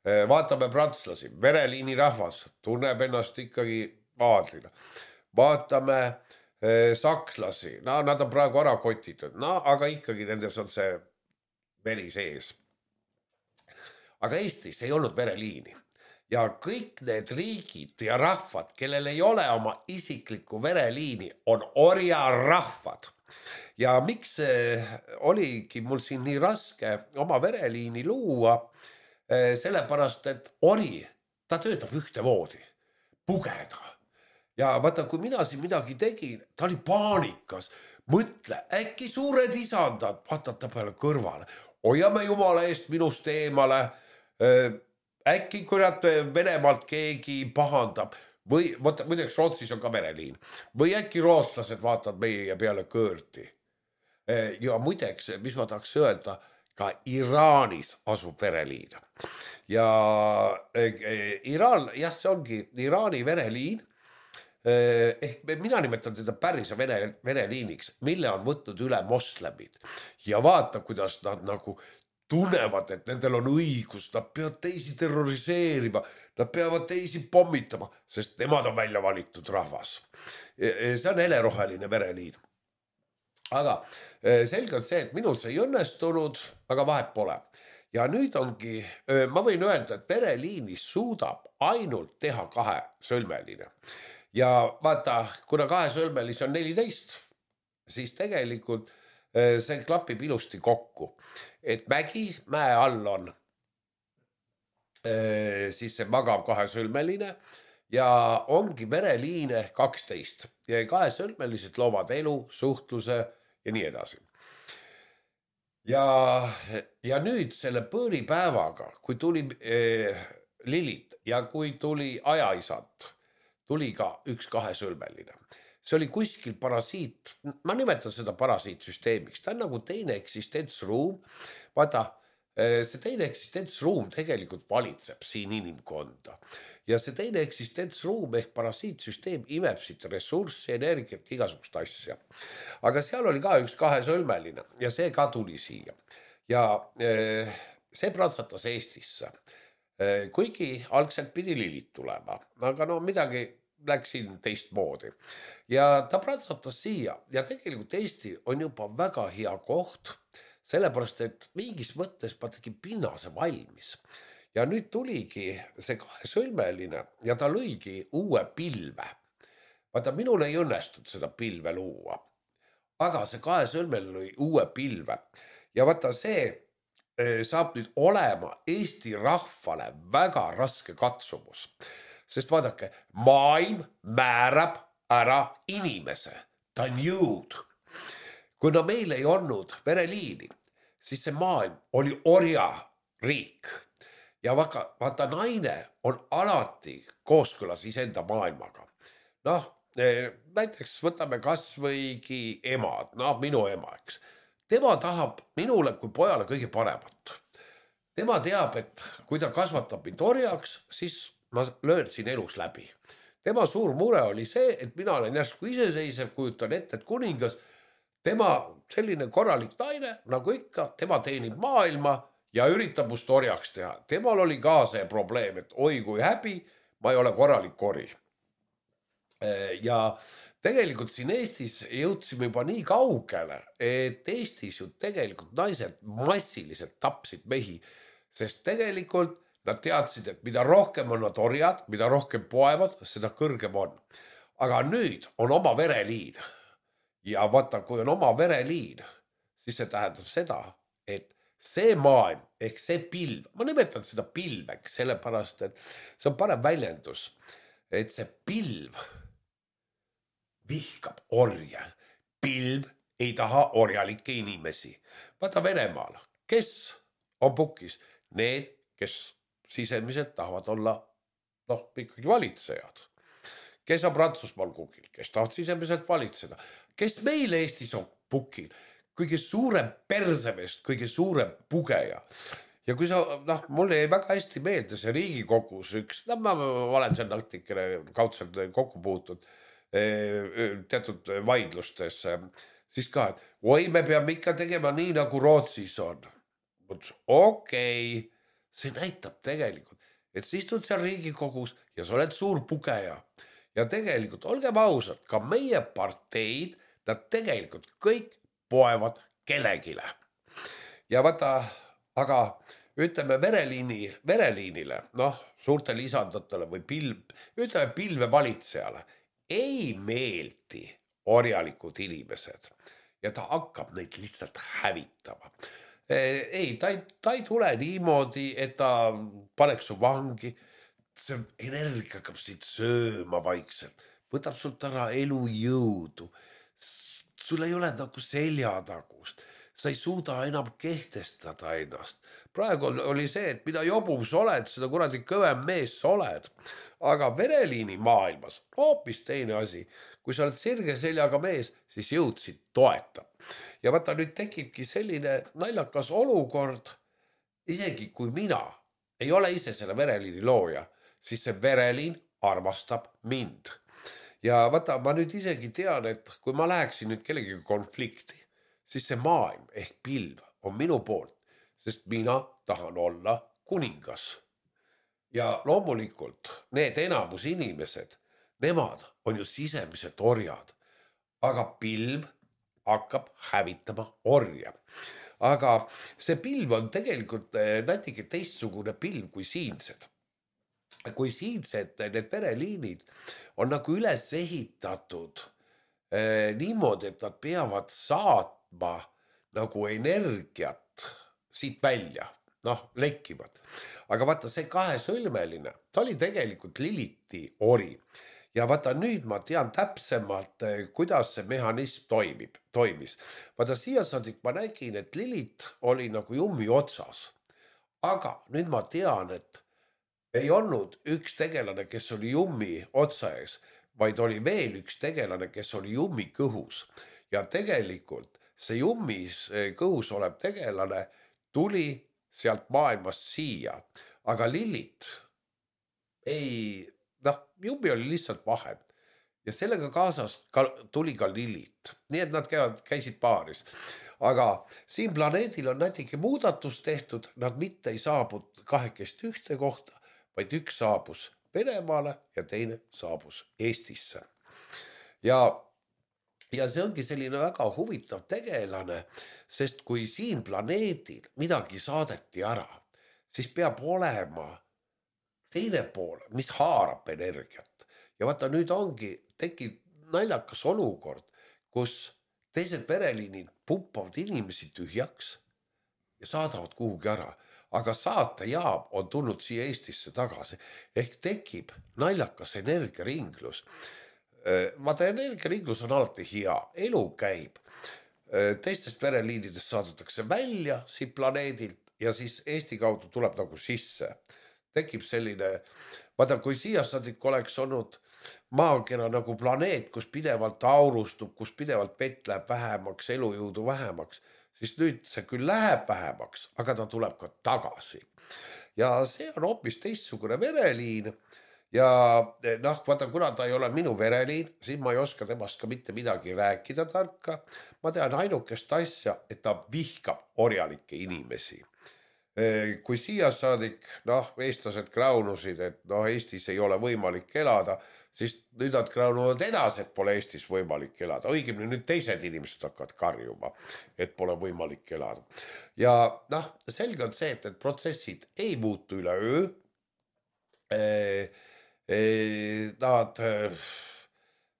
Speaker 2: Äh, vaatame prantslasi, vereliini rahvas tunneb ennast ikkagi aadlina. Vaatame eh, sakslasi, no nad on praegu ära kotitud, no aga ikkagi nendes on see veri sees. Aga Eestis ei olnud vereliini ja kõik need riigid ja rahvad, kellel ei ole oma isiklikku vereliini, on orjarahvad. Ja miks eh, oligi mul siin nii raske oma vereliini luua, eh, sellepärast, et ori, ta töötab ühtemoodi, pugeda. Ja vaata, kui mina siin midagi tegin, ta oli paanikas. Mõtle, äkki suured isandad, vaatad ta peale kõrvale. Hoiame jumala eest minust eemale. Äkki kurat Venemaalt keegi pahandab. Või, võtta, muideks Rootsis on ka vereliin. Või äkki rootslased vaatavad meie peale kõõrti. Ja muideks, mis ma tahaks öelda, ka Iraanis asub vereliin. Ja Iraan, jah, see ongi Iraani vereliin. Ehk mina nimetan teda päris vereliiniks, mille on võtnud üle moslemid. Ja vaata, kuidas nad nagu tunnevad, et nendel on õigus, nad peavad teisi terroriseerima, nad peavad teisi pommitama, sest nemad on välja valitud rahvas. See on heleroheline vereliin. Aga selge on see, et minul see ei õnnestunud, aga vahet pole. Ja nüüd ongi, ma võin öelda, et vereliinis suudab ainult teha kahe sõlmeline. Ja vaata, kuna kahe sõlmelis on neliteist, siis tegelikult see klapib ilusti kokku. Et mägi, mäe all on siis see magav kahe sõlmeline ja ongi vereliine kaksteist. Ja kahe sõlmelised loovad elu, suhtluse ja nii edasi. Ja, ja nüüd selle põõripäevaga, kui tuli eh, Lilit ja kui tuli ajaisand, tuli ka üks kahesõlmeline. See oli kuskil parasiit, ma nimetan seda parasiitsüsteemiks, ta on nagu teine eksistentsruum. Vaata, see teine eksistentsruum tegelikult valitseb siin inimkonda. Ja see teine eksistentsruum ehk parasiitsüsteem imeb siit ressurssi, energiat, igasugust asja. Aga seal oli ka üks kahesõlmeline ja see ka tuli siia. Ja see pratsatas Eestisse. Kuigi algselt pidi Lilit tulema, aga no midagi läksin teist moodi. Ja ta pratsatas siia ja tegelikult Eesti on juba väga hea koht, sellepärast, et mingis mõttes ma tegin pinnase valmis ja nüüd tuligi see kahesõlmeline ja ta lõigi uue pilve. Vaata, minul ei õnnestunud seda pilve luua, aga see kahesõlmeline lõi uue pilve ja vaata, see saab nüüd olema Eesti rahvale väga raske katsumus, sest vaadake, maailm määrab ära inimese, ta on jõud. Kuna meil ei olnud vereliini, siis see maailm oli orjariik ja vaata, vaata naine on alati kooskõlas iseenda maailmaga. Noh, näiteks võtame kas võigi emad, noh minu ema, eks. Tema tahab minule kui pojale kõige paremat. Tema teab, et kui ta kasvatab mind orjaks, siis ma löön siin elus läbi. Tema suur mure oli see, et mina olen järsku iseseisev, kujutan ette, et kuningas, tema selline korralik naine, nagu ikka, tema teenib maailma ja üritab must orjaks teha. Temal oli ka see probleem, et oi kui häbi, ma ei ole korralik ori. Ja tegelikult siin Eestis jõudsime juba nii kaugele, et Eestis ju tegelikult naised massiliselt tapsid mehi, sest tegelikult nad teadsid, et mida rohkem on nad orjad, mida rohkem poevad, seda kõrgem on. Aga nüüd on oma vereliin ja vaata, kui on oma vereliin, siis see tähendab seda, et see maailm ehk see pilv, ma nimetan seda pilveks, sellepärast, et see on parem väljendus, et see pilv vihkab orje. Pilv ei taha orjalikke inimesi. Vaata Venemaal, kes on pukis? Need, kes sisemiselt tahavad olla noh, ikkagi valitsejad. Kes on Prantsusmaal kukil? Kes tahavad sisemiselt valitseda? Kes meil Eestis on pukil? Kõige suurem persevest, kõige suurem pugeja. Ja kui sa, noh, mulle jäi väga hästi meelde see Riigikogus üks, no ma olen seal natukene kaudselt kokku puutud, teatud vaidlustes, siis ka, et oi, me peame ikka tegema nii, nagu Rootsis on. Okei, see näitab tegelikult, et sa istud seal Riigikogus ja sa oled suur pugeja. Ja tegelikult, olgem ausad, ka meie parteid, nad tegelikult kõik poevad kellegile. Ja vaata, aga ütleme vereliini, vereliinile, noh, suurte lisandatele või pilv, ütleme pilve valitsejale, ei meeldi orjalikud inimesed ja ta hakkab neid lihtsalt hävitama. Ei, ta ei, ta ei tule niimoodi, et ta paneks su vangi, see energia hakkab siit sööma vaikselt, võtab sult ära elujõudu, sul ei ole nagu seljatagust, sa ei suuda enam kehtestada ennast. Praegu oli see, et mida jobum sa oled, seda kuradi kõvem mees sa oled. Aga vereliini maailmas hoopis teine asi. Kui sa oled sirge seljaga mees, siis jõudsid toeta. Ja vaata, nüüd tekibki selline naljakas olukord, isegi kui mina ei ole ise selle vereliini looja, siis see vereliin armastab mind. Ja vaata, ma nüüd isegi tean, et kui ma läheksin nüüd kellegiga konflikti, siis see maailm ehk pilv on minu poolt, sest mina tahan olla kuningas. Ja loomulikult need enamus inimesed, nemad on ju sisemised orjad, aga pilv hakkab hävitama orja. Aga see pilv on tegelikult natuke teistsugune pilv kui siinsed. Kui siinsed need vereliinid on nagu üles ehitatud eh, niimoodi, et nad peavad saatma nagu energiat siit välja, noh, lekkivad. Aga vaata, see kahesõlmeline, ta oli tegelikult Liliti ori. Ja vaata, nüüd ma tean täpsemalt, kuidas see mehhanism toimib, toimis. Vaata, siia saadik ma nägin, et Lilit oli nagu jummi otsas. Aga nüüd ma tean, et ei olnud üks tegelane, kes oli jummi otsa ees, vaid oli veel üks tegelane, kes oli jummi kõhus. Ja tegelikult see jummis kõhus olev tegelane tuli sealt maailmast siia, aga Lilit ei, noh, jummi oli lihtsalt vahend ja sellega kaasas ka, tuli ka Lilit, nii et nad käivad, käisid paaris. Aga siin planeedil on natuke muudatus tehtud, nad mitte ei saabud kahekest ühte kohta, vaid üks saabus Venemaale ja teine saabus Eestisse. Ja ja see ongi selline väga huvitav tegelane, sest kui siin planeedil midagi saadeti ära, siis peab olema teine pool, mis haarab energiat. Ja vaata nüüd ongi, tekib naljakas olukord, kus teised vereliinid pumpavad inimesi tühjaks ja saadavad kuhugi ära. Aga saatejaam on tulnud siia Eestisse tagasi. Ehk tekib naljakas energiaringlus. Vaata, energiaringlus on alati hea. Elu käib. Teistest vereliinidest saadetakse välja siit planeedilt ja siis Eesti kaudu tuleb nagu sisse. Tekib selline, vaata, kui siiasadik oleks olnud maakera nagu planeet, kus pidevalt aurustub, kus pidevalt vett läheb vähemaks, elujõudu vähemaks, siis nüüd see küll läheb vähemaks, aga ta tuleb ka tagasi. Ja see on hoopis teistsugune vereliin ja noh, vaata, kuna ta ei ole minu vereliin, siis ma ei oska temast ka mitte midagi rääkida tarka. Ma tean ainukest asja, et ta vihkab orjalikke inimesi. Kui siia saadik, noh, eestlased kraunusid, et noh, Eestis ei ole võimalik elada, siis nüüd nad kraunuvad edasi, et pole Eestis võimalik elada. Õigemini nüüd teised inimesed hakkavad karjuma, et pole võimalik elada. Ja noh, selge on see, et, et protsessid ei muutu üle öö. E, e, nad,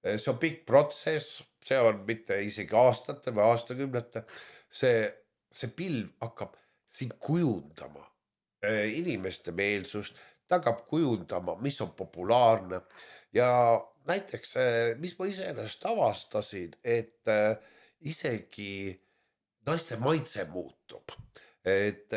Speaker 2: see on pikk protsess, see on mitte isegi aastate või aastakümnete. See, see pilv hakkab siin kujundama inimeste meelsust, ta hakkab kujundama, mis on populaarne ja näiteks, mis ma iseenesest avastasin, et isegi naiste maitse muutub. Et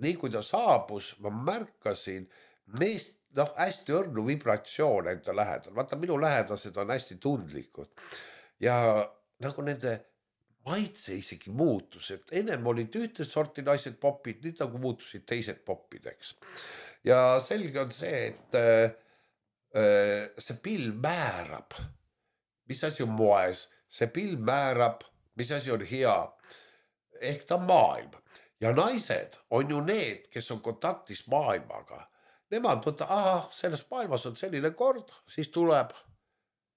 Speaker 2: nii kui ta saabus, ma märkasin meest, noh, hästi õrnu vibratsioon enda lähedal. Vaata, minu lähedased on hästi tundlikud ja nagu nende maitse isegi muutus, et ennem olid ühte sorti naised popid, nüüd nagu muutusid teised popideks. Ja selge on see, et äh, see pilv määrab, mis asi on moes, see pilv määrab, mis asi on hea, ehk ta maailm. Ja naised on ju need, kes on kontaktis maailmaga. Nemad võtta, aha, selles maailmas on selline kord, siis tuleb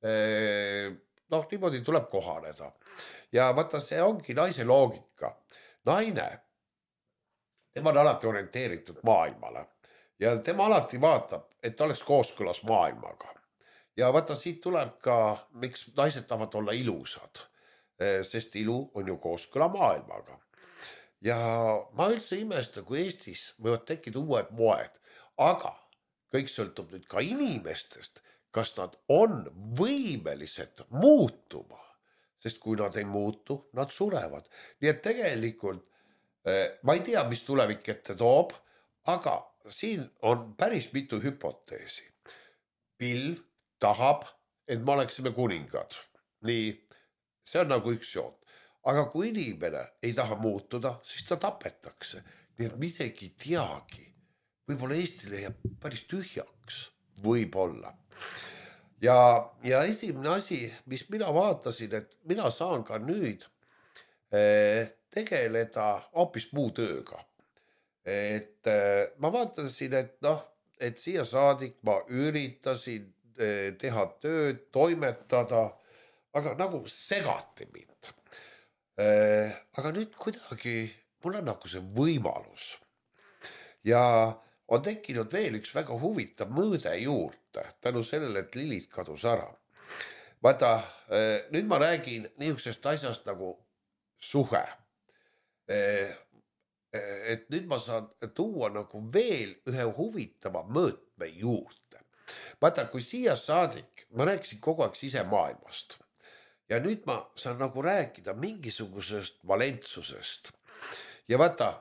Speaker 2: äh, noh, niimoodi tuleb kohaneda. Ja vaata, see ongi naise loogika. Naine, tema on alati orienteeritud maailmale ja tema alati vaatab, et ta oleks kooskõlas maailmaga. Ja vaata, siit tuleb ka, miks naised tahavad olla ilusad, sest ilu on ju kooskõla maailmaga. Ja ma üldse imesta, kui Eestis võivad tekkida uued moed, aga kõik sõltub nüüd ka inimestest, kas nad on võimelised muutuma, sest kui nad ei muutu, nad surevad. Nii et tegelikult ma ei tea, mis tulevik ette toob, aga siin on päris mitu hüpoteesi. Pilv tahab, et me oleksime kuningad. Nii, see on nagu üks joon. Aga kui inimene ei taha muutuda, siis ta tapetakse. Nii et me isegi ei teagi. Võib-olla Eestile jääb päris tühjaks. Võib-olla. Ja, ja esimene asi, mis mina vaatasin, et mina saan ka nüüd eh, tegeleda hoopis muu tööga. Et eh, ma vaatasin, et noh, et siia saadik ma üritasin eh, teha tööd, toimetada, aga nagu segati mind. Eh, aga nüüd kuidagi mul on nagu see võimalus. Ja on tekkinud veel üks väga huvitav mõõde juurde, tänu sellele, et Lilith kadus ära. Vaata, nüüd ma räägin niisugusest asjast nagu suhe. Et nüüd ma saan tuua nagu veel ühe huvitava mõõtme juurde. Vaata, kui siia saadik, ma rääkisin kogu aeg sisemaailmast. Ja nüüd ma saan nagu rääkida mingisugusest valentsusest. Ja vaata,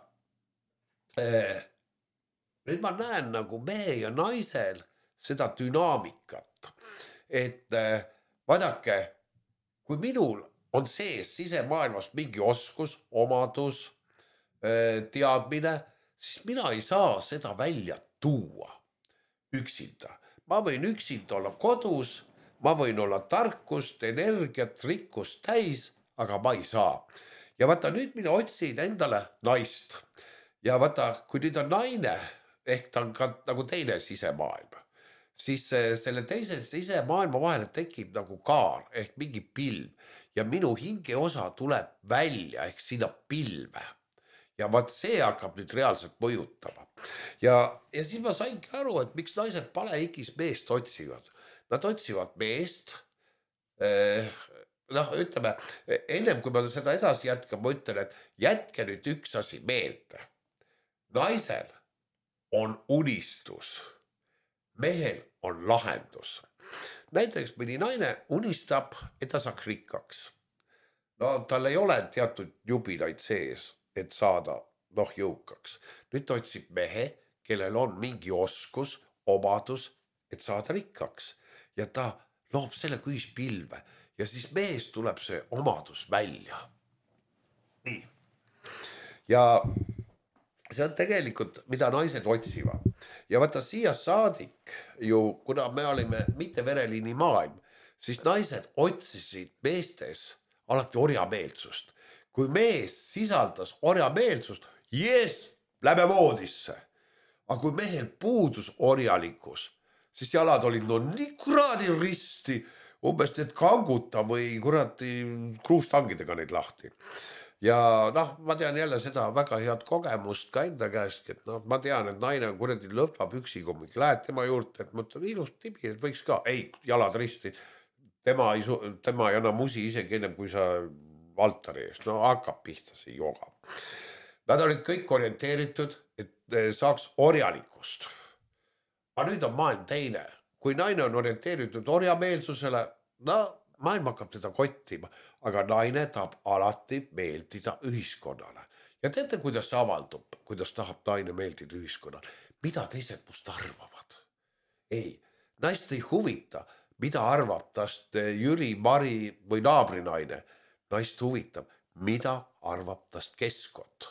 Speaker 2: nüüd ma näen nagu mehe ja naisel seda dünaamikat, et vaadake, kui minul on sees sisemaailmas mingi oskus, omadus, teadmine, siis mina ei saa seda välja tuua üksinda. Ma võin üksinda olla kodus, ma võin olla tarkust, energiat, rikkust täis, aga ma ei saa. Ja vaata, nüüd mina otsin endale naist. Ja vaata, kui nüüd on naine, ehk ta on ka nagu teine sisemaailm, siis selle teise sisemaailma vahele tekib nagu kaar ehk mingi pilv. ja minu hingeosa tuleb välja ehk sinna pilve. Ja vaat see hakkab nüüd reaalselt mõjutama. Ja, ja siis ma saingi aru, et miks naised palehigis meest otsivad. Nad otsivad meest, eh, noh, ütleme, ennem kui ma seda edasi jätkan, ma ütlen, et jätke nüüd üks asi meelde. Naisel on unistus, mehel on lahendus. Näiteks mõni naine unistab, et ta saaks rikkaks. No tal ei ole teatud jubinaid sees, et saada noh jõukaks. Nüüd otsib mehe, kellel on mingi oskus, omadus, et saada rikkaks. Ja ta loob selle kui pilve ja siis mees tuleb see omadus välja. Nii. Ja see on tegelikult, mida naised otsivad. Ja vaata siia saadik ju, kuna me olime mitte vereliini maailm, siis naised otsisid meestes alati orjameelsust. Kui mees sisaldas orjameelsust, jes, lähme voodisse. Aga kui mehel puudus orjalikkus, siis jalad olid no nii kuradi risti, umbes need kanguta või kuradi kruustangidega neid lahti. Ja noh, ma tean jälle seda väga head kogemust ka enda käest, et noh, ma tean, et naine on kuradi lõpab üksiga, lähed tema juurde, et mõtlen ilus tibi, et võiks ka, ei, jalad risti, tema ei, tema ei anna musi isegi ennem, kui sa altari ees, no hakkab pihta see joga. Nad olid kõik orienteeritud, et saaks orjalikust. Aga nüüd on maailm teine. Kui naine on orienteeritud orjameelsusele, no maailm hakkab teda kottima, aga naine tahab alati meeldida ühiskonnale. Ja teate, kuidas see avaldub, kuidas tahab naine meeldida ühiskonnale? Mida teised must arvavad? Ei, naist ei huvita, mida arvab tast Jüri, Mari või naabrinaine. Naist huvitab, mida arvab tast keskkond.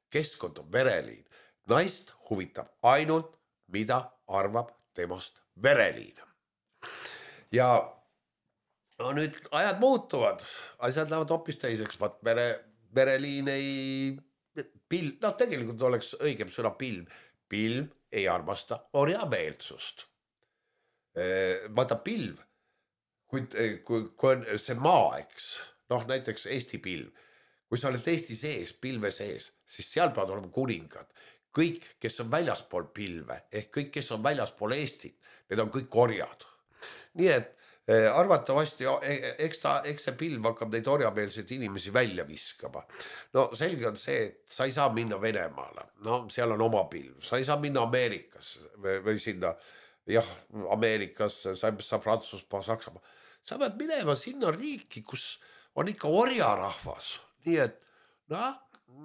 Speaker 2: Keskkond on vereliin. Naist huvitab ainult, mida arvab temast vereliin. Ja no nüüd ajad muutuvad, asjad lähevad hoopis teiseks. Vaat vere, vereliin ei, pilv, no tegelikult oleks õigem sõna pilv. Pilv ei armasta orjameelsust. Vaata pilv, kui, kui, kui on see maa, eks, noh näiteks Eesti pilv, kui sa oled Eesti sees, pilve sees, siis seal peavad olema kuningad. Kõik, kes on väljaspool pilve, ehk kõik, kes on väljaspool Eestit, need on kõik orjad. Nii et eh, arvatavasti, eks, ta, eks see pilv hakkab neid orjameelseid inimesi välja viskama. No selge on see, et sa ei saa minna Venemaale, no seal on oma pilv, sa ei saa minna Ameerikas või, või sinna, jah, Ameerikas, sa ei saa Prantsusmaa, Saksamaa. Sa pead minema sinna riiki, kus on ikka orjarahvas. Nii et, noh,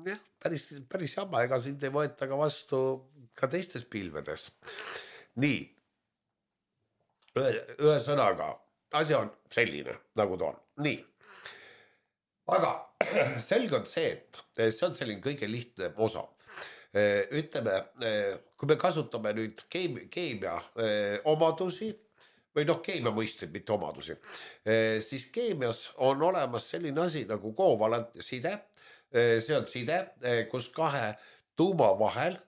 Speaker 2: jah, päris, päris jama, ega sind ei võeta ka vastu ka teistes pilvedes. Nii, ühe, ühe sõnaga, asi on selline, nagu ta on. Nii, aga selge on see, et see on selline kõige lihtne osa. Ütleme, kui me kasutame nüüd keemia omadusi, või noh, keemia mõisted, mitte omadusi, siis keemias on olemas selline asi nagu kovalentne side. See on side, kus kahe tuuma vahel,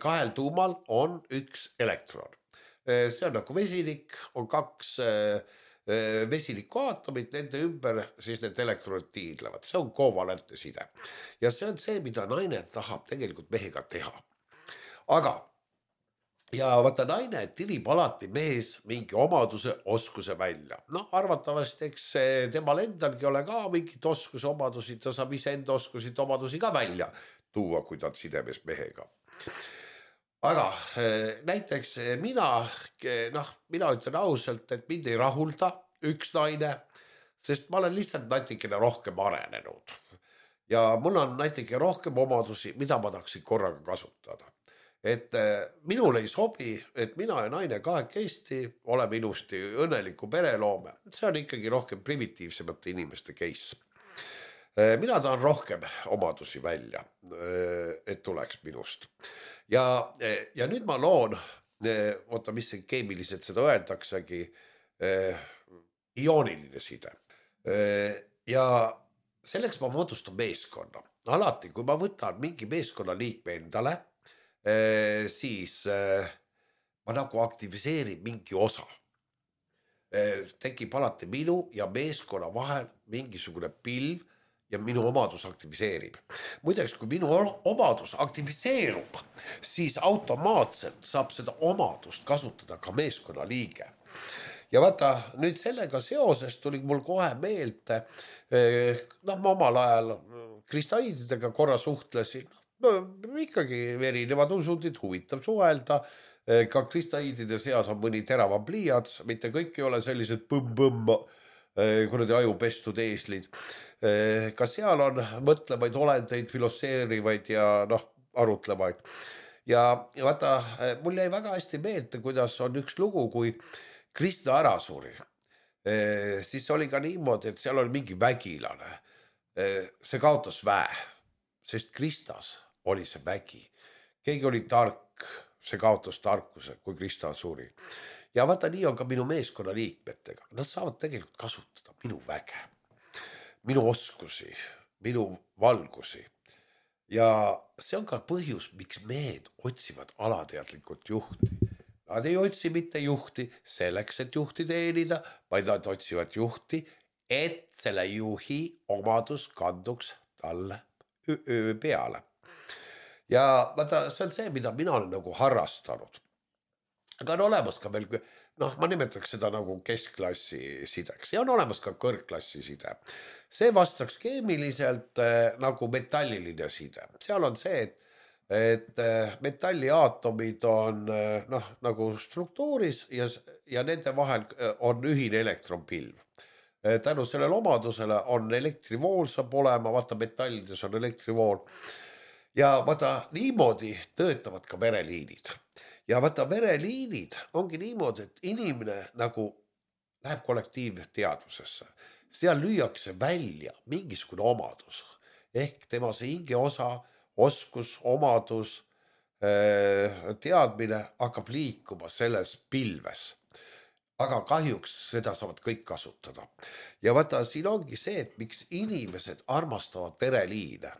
Speaker 2: kahel tuumal on üks elektron. See on nagu vesinik, on kaks vesiniku aatomit, nende ümber siis need elektronid tiidlevad. See on kovalentne side. Ja see on see, mida naine tahab tegelikult mehega teha. Aga ja vaata naine tirib alati mees mingi omaduse, oskuse välja. Noh, arvatavasti, eks temal endalgi ole ka mingit oskuse omadusi, ta saab ise enda oskusid omadusi ka välja tuua, kui ta on sidemes mehega. Aga näiteks mina, noh, mina ütlen ausalt, et mind ei rahulda üks naine, sest ma olen lihtsalt natikene rohkem arenenud. Ja mul on natikene rohkem omadusi, mida ma tahaksin korraga kasutada. Et minul ei sobi, et mina ja naine kahekesti oleme ilusti õnneliku pereloome. See on ikkagi rohkem primitiivsemate inimeste case. Mina tahan rohkem omadusi välja, et tuleks minust. Ja, ja nüüd ma loon, oota, mis see keemiliselt seda öeldaksegi, iooniline side. Ja selleks ma moodustan meeskonna. Alati, kui ma võtan mingi meeskonna liikme endale, siis ma nagu aktiviseerin mingi osa. tekib alati minu ja meeskonna vahel mingisugune pilv ja minu omadus aktiviseerib. Muideks, kui minu omadus aktiviseerub, siis automaatselt saab seda omadust kasutada ka meeskonna liige. Ja vaata, nüüd sellega seoses tuli mul kohe meelde, noh, ma omal ajal kristaiididega korra suhtlesin, no, ikkagi erinevad usundid, huvitav suhelda, ka kristaiidide seas on mõni teravam pliiats, mitte kõik ei ole sellised põmm-põmm, kuradi ajupestud eeslid. Ka seal on mõtlevaid olendeid, filosseerivaid ja noh, arutlevaid. Ja, ja vaata, mul jäi väga hästi meelde, kuidas on üks lugu, kui Krista ära suri. Siis oli ka niimoodi, et seal oli mingi vägilane. See kaotas väe, sest Kristas oli see vägi. Keegi oli tark, see kaotas tarkuse, kui Krista suri. Ja vaata, nii on ka minu meeskonna liikmetega. Nad saavad tegelikult kasutada minu väge, minu oskusi, minu valgusi. Ja see on ka põhjus, miks mehed otsivad alateadlikult juhti. Nad ei otsi mitte juhti selleks, et juhti teenida, vaid nad otsivad juhti, et selle juhi omadus kanduks talle peale. Ja vaata, see on see, mida mina olen nagu harrastanud. Aga on olemas ka veel, noh, ma nimetaks seda nagu keskklassi sideks ja on olemas ka kõrgklassi side. See vastaks keemiliselt nagu metalliline side. Seal on see, et, et metalliaatomid on noh, nagu struktuuris ja, ja nende vahel on ühine elektronpilv. Tänu sellele omadusele on elektrivool saab olema, vaata metallides on elektrivool. Ja vaata, niimoodi töötavad ka vereliinid. Ja vaata, vereliinid ongi niimoodi, et inimene nagu läheb kollektiivteadvusesse. Seal lüüakse välja mingisugune omadus. Ehk tema see hinge osa, oskus, omadus, teadmine hakkab liikuma selles pilves. Aga kahjuks seda saavad kõik kasutada. Ja vaata, siin ongi see, et miks inimesed armastavad vereliine.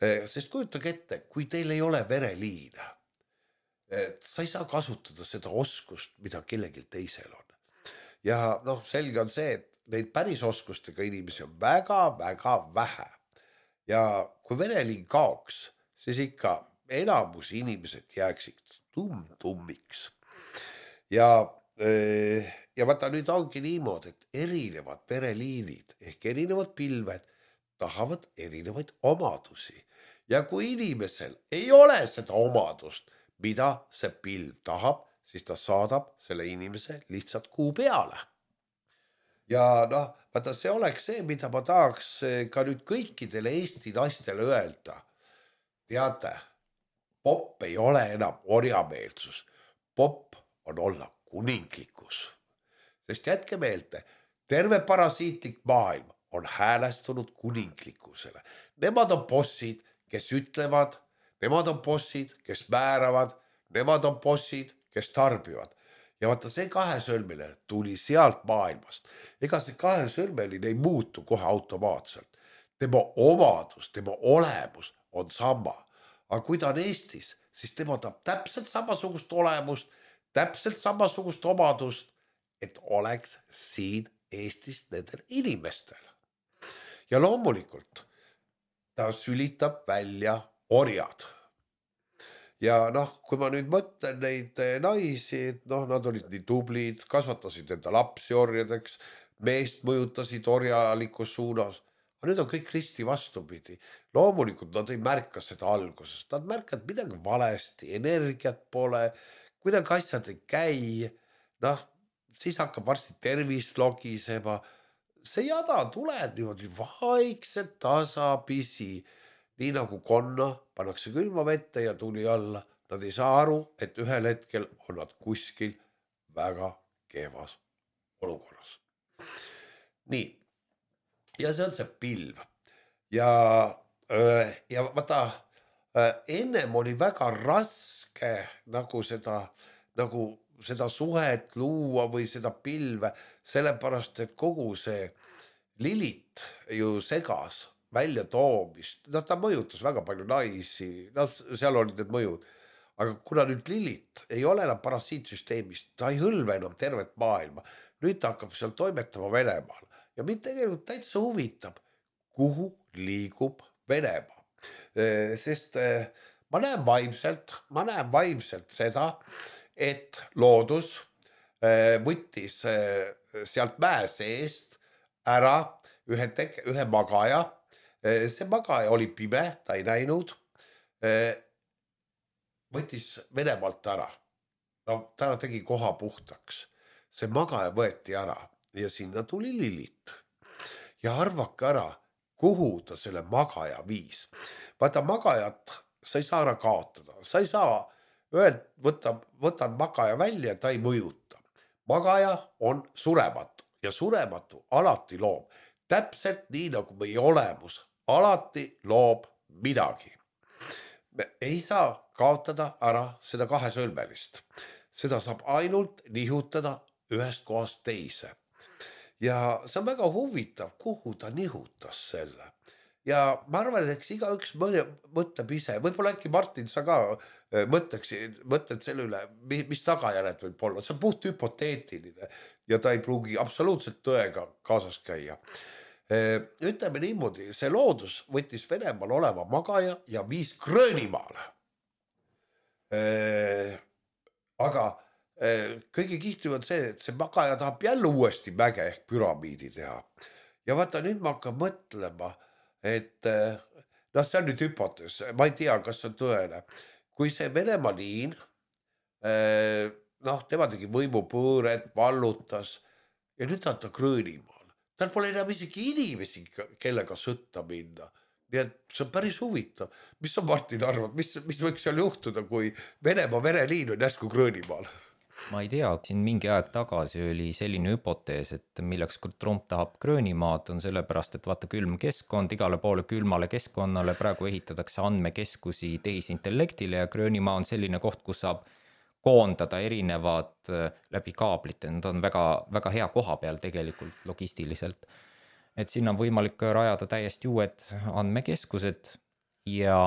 Speaker 2: Sest kujutage ette, kui teil ei ole vereliine, et sa ei saa kasutada seda oskust, mida kellelgi teisel on. Ja noh, selge on see, et neid päris oskustega inimesi on väga-väga vähe. Ja kui vereliin kaoks, siis ikka enamus inimesed jääksid tumm-tummiks. Ja, ja vaata, nüüd ongi niimoodi, et erinevad vereliinid ehk erinevad pilved tahavad erinevaid omadusi. Ja kui inimesel ei ole seda omadust, mida see pilv tahab, siis ta saadab selle inimese lihtsalt kuu peale. Ja noh, vaata, see oleks see, mida ma tahaks ka nüüd kõikidele Eesti naistele öelda. Teate, popp ei ole enam orjameelsus. Popp on olla kuninglikkus. Sest jätke meelde, terve parasiitlik maailm on häälestunud kuninglikkusele. Nemad on bossid, kes ütlevad, nemad on bossid, kes määravad, nemad on bossid, kes tarbivad. Ja vaata, see kahesõlmeline tuli sealt maailmast. Ega see kahesõlmeline ei muutu kohe automaatselt. Tema omadus, tema olemus on sama. Aga kui ta on Eestis, siis tema tahab täpselt samasugust olemust, täpselt samasugust omadust, et oleks siin Eestis nendel inimestel. Ja loomulikult ta sülitab välja orjad. Ja noh, kui ma nüüd mõtlen neid naisi, noh, nad olid nii tublid, kasvatasid enda lapsi orjadeks, meest mõjutasid orjalikus suunas. Aga nüüd on kõik risti vastupidi. Loomulikult nad ei märka seda algusest. Nad märkavad midagi valesti, energiat pole, kuidagi asjad ei käi. Noh, siis hakkab varsti tervis logisema. See jada tuleb niimoodi vaikselt tasapisi. Nii nagu konna pannakse külma vette ja tuli alla. Nad ei saa aru, et ühel hetkel on nad kuskil väga kehvas olukorras. Nii. Ja see on see pilv. Ja, ja vaata, ennem oli väga raske nagu seda, nagu seda suhet luua või seda pilve, sellepärast, et kogu see Lilit ju segas välja toomist. No, ta mõjutas väga palju naisi, no, seal olid need mõjud. aga kuna nüüd lillit ei ole enam parasiitsüsteemist, ta ei hõlve enam tervet maailma, nüüd ta hakkab seal toimetama Venemaal ja mind tegelikult täitsa huvitab, kuhu liigub Venemaa, sest ma näen vaimselt, ma näen vaimselt seda, et loodus võttis sealt mäe seest ära ühe, teke, ühe magaja. See magaja oli pime, ta ei näinud. Võttis Venemaalt ära. No, ta tegi koha puhtaks. See magaja võeti ära ja sinna tuli Lillit. Ja arvake ära, kuhu ta selle magaja viis. Vaata, magajat sa ei saa ära kaotada. Sa ei saa öelda, võtan, võtan magaja välja, ta ei mõjuta. Magaja on surematu ja surematu alati loob. Täpselt nii nagu meie olemus alati loob midagi. Me ei saa kaotada ära seda kahesõlmelist. Seda saab ainult nihutada ühest kohast teise. Ja see on väga huvitav, kuhu ta nihutas selle. Ja ma arvan, et eks igaüks mõtleb ise. Võib-olla äkki Martin, sa ka mõtleks, mõtled selle üle, mis tagajärjed võib olla. See on puht hüpoteetiline ja ta ei pruugi absoluutselt tõega kaasas käia. Ütleme niimoodi, see loodus võttis Venemaal oleva magaja ja viis Gröönimaale. Aga kõige kihtiv on see, et see magaja tahab jälle uuesti mäge ehk püramiidi teha. Ja vaata, nüüd ma hakkan mõtlema, et noh, see on nüüd hüpotees, ma ei tea, kas see on tõene. Kui see Venemaa liin, noh, tema tegi võimupõõret, vallutas ja nüüd on ta Gröönimaal. Tal pole enam isegi inimesi, kellega sõtta minna. Nii et see on päris huvitav. Mis sa, Martin, arvad, mis, mis võiks seal juhtuda, kui Venemaa vereliin on järsku Gröönimaal?
Speaker 1: Ma ei tea, siin mingi aeg tagasi oli selline hüpotees, et milleks Trump tahab Gröönimaad on sellepärast, et vaata külm keskkond, igale poole külmale keskkonnale praegu ehitatakse andmekeskusi tehisintellektile ja Gröönimaa on selline koht, kus saab koondada erinevad läbi kaablite, need on väga, väga hea koha peal tegelikult logistiliselt. Et sinna on võimalik rajada täiesti uued andmekeskused ja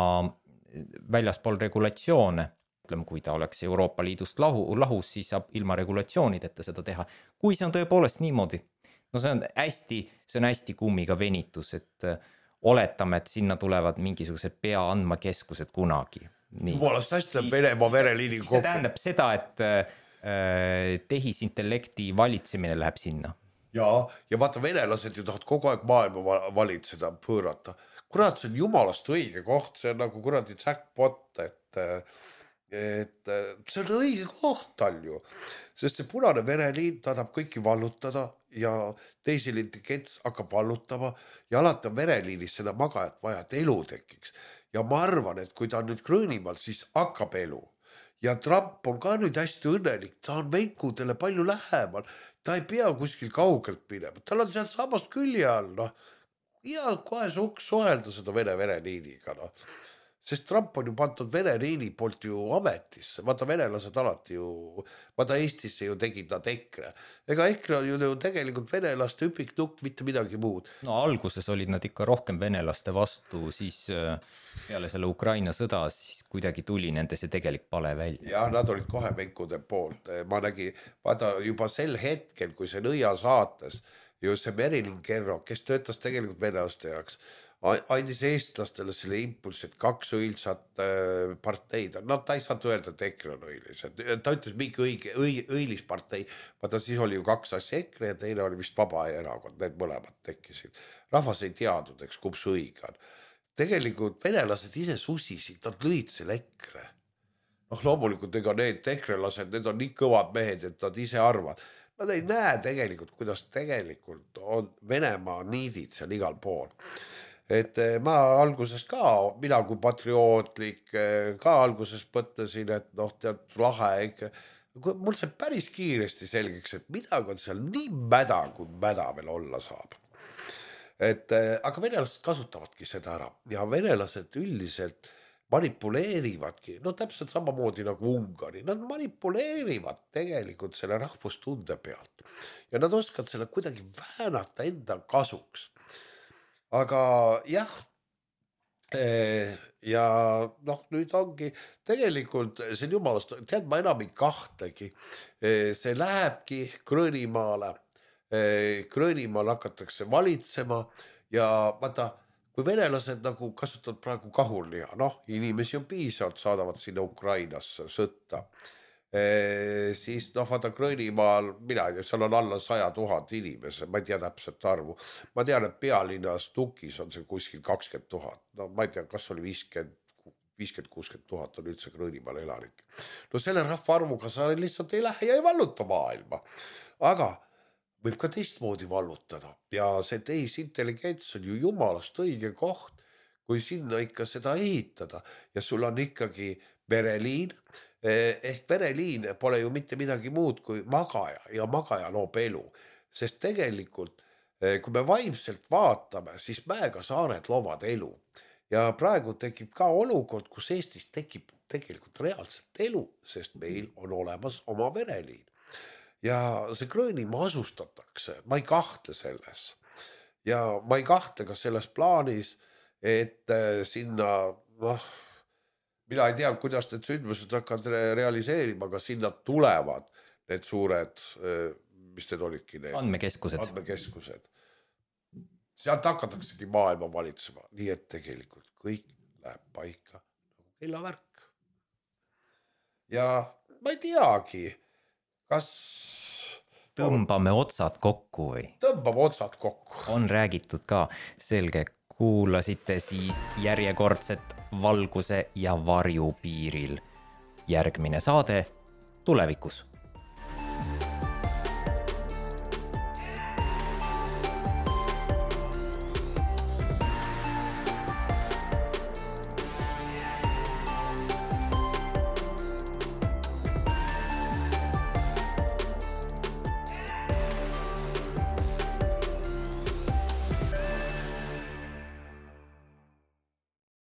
Speaker 1: väljaspool regulatsioone. Ütleme, kui ta oleks Euroopa Liidust lahu, lahus, siis saab ilma regulatsioonideta seda teha. Kui see on tõepoolest niimoodi, no see on hästi, see on hästi kummiga venitus, et oletame, et sinna tulevad mingisugused pea andmakeskused kunagi.
Speaker 2: Jumalast hästi on Venemaa vereliini kokku.
Speaker 1: See tähendab seda, et äh, tehisintellekti valitsemine läheb sinna.
Speaker 2: Ja, ja vaata, venelased ju tahavad kogu aeg maailma valitseda, pöörata. Kurat, see on jumalast õige koht, see on nagu kuradi jackpot, et et see on õige koht tal ju, sest see punane vereliin tahab kõiki vallutada ja teisel intelligents hakkab vallutama ja alati on vereliinis seda magajat vaja, et elu tekiks. Ja ma arvan, et kui ta on nüüd Gröönimaal, siis hakkab elu. Ja Trump on ka nüüd hästi õnnelik, ta on venkudele palju lähemal, ta ei pea kuskil kaugelt minema, tal on sealt samast külje all, noh, ja kohe suhelda seda vene vereliiniga, noh. Sest Trump on ju pandud vereliini poolt ju ametisse. Vaata, venelased alati ju, vaata Eestisse ju tegid nad EKRE. Ega EKRE on ju tegelikult venelaste üpiknukk, mitte midagi muud.
Speaker 1: No alguses olid nad ikka rohkem venelaste vastu, siis peale selle Ukraina sõda, siis kuidagi tuli nende see tegelik pale välja.
Speaker 2: Ja nad olid kohe venkude poolt. Ma nägi, vaata juba sel hetkel, kui see Nõia saates, ju see Merilin Kerro, kes töötas tegelikult venelaste jaoks, andis eestlastele selle impulsi, et kaks õilsat parteid. No ta ei saanud öelda, et EKRE on õilis. Ta ütles mingi õige, õige, õilis partei. Vaata, siis oli ju kaks asja EKRE ja teine oli vist Vaba erakond. Need mõlemad tekkisid. Rahvas ei teadnud, eks kumb see õige on. Tegelikult venelased ise susisid, nad lõid selle EKRE. Noh, loomulikult ega need ekrelased, need on nii kõvad mehed, et nad ise arvad. Nad ei näe tegelikult, kuidas tegelikult on Venemaa niidid seal igal pool. Et ma alguses ka, mina kui patriootlik, ka alguses mõtlesin, et noh, tead lahe ikka. Mul see päris kiiresti selgeks, et midagi on seal nii mäda, kui mäda veel olla saab. Et, aga venelased kasutavadki seda ära ja venelased üldiselt manipuleerivadki, no täpselt samamoodi nagu Ungari, nad manipuleerivad tegelikult selle rahvustunde pealt ja nad oskavad selle kuidagi väänata enda kasuks. Aga jah, ja noh, nüüd ongi tegelikult see on jumalast, tead, ma enam ei kahtlegi, see lähebki Gröönimaale, Gröönimaal hakatakse valitsema ja vaata, kui venelased nagu kasutavad praegu kahurliha, noh, inimesi on piisavalt, saadavad sinna Ukrainasse sõtta. Siis noh, vaata Gröönimaal, mina ei tea, seal on alla saja tuhat inimese, ma ei tea täpselt arvu. Ma tean, et pealinnas Tukis on see kuskil kakskümmend tuhat. No ma ei tea, kas oli viiskümmend, viiskümmend kuuskümmend tuhat on üldse Gröönimaal elanik. No selle rahvaarvuga sa lihtsalt ei lähe ja ei valluta maailma. Aga võib ka teistmoodi vallutada. Ja see tehisintelligents on ju jumalast õige koht, kui sinna ikka seda ehitada. Ja sul on ikkagi vereliin, ehk vereliin pole ju mitte midagi muud kui magaja ja magaja loob elu. Sest tegelikult, kui me vaimselt vaatame, siis Mäega saared loovad elu. Ja praegu tekib ka olukord, kus Eestis tekib tegelikult reaalselt elu, sest meil on olemas oma vereliin. Ja see Gröönimaa asustatakse, ma ei kahtle selles. Ja ma ei kahtle ka selles plaanis, et sinna, noh, mina ei tea, kuidas need sündmused hakkavad realiseerima, aga sinna tulevad need suured, mis need olidki need?
Speaker 1: Andmekeskused.
Speaker 2: Andmekeskused. Sealt hakataksegi maailma valitsema, nii et tegelikult kõik läheb paika nagu kellavärk. Ja ma ei teagi, kas
Speaker 1: tõmbame otsad kokku või?
Speaker 2: Tõmbame otsad kokku.
Speaker 1: On räägitud ka, selge. Kuulasite siis järjekordset Valguse ja varju piiril. Järgmine saade tulevikus.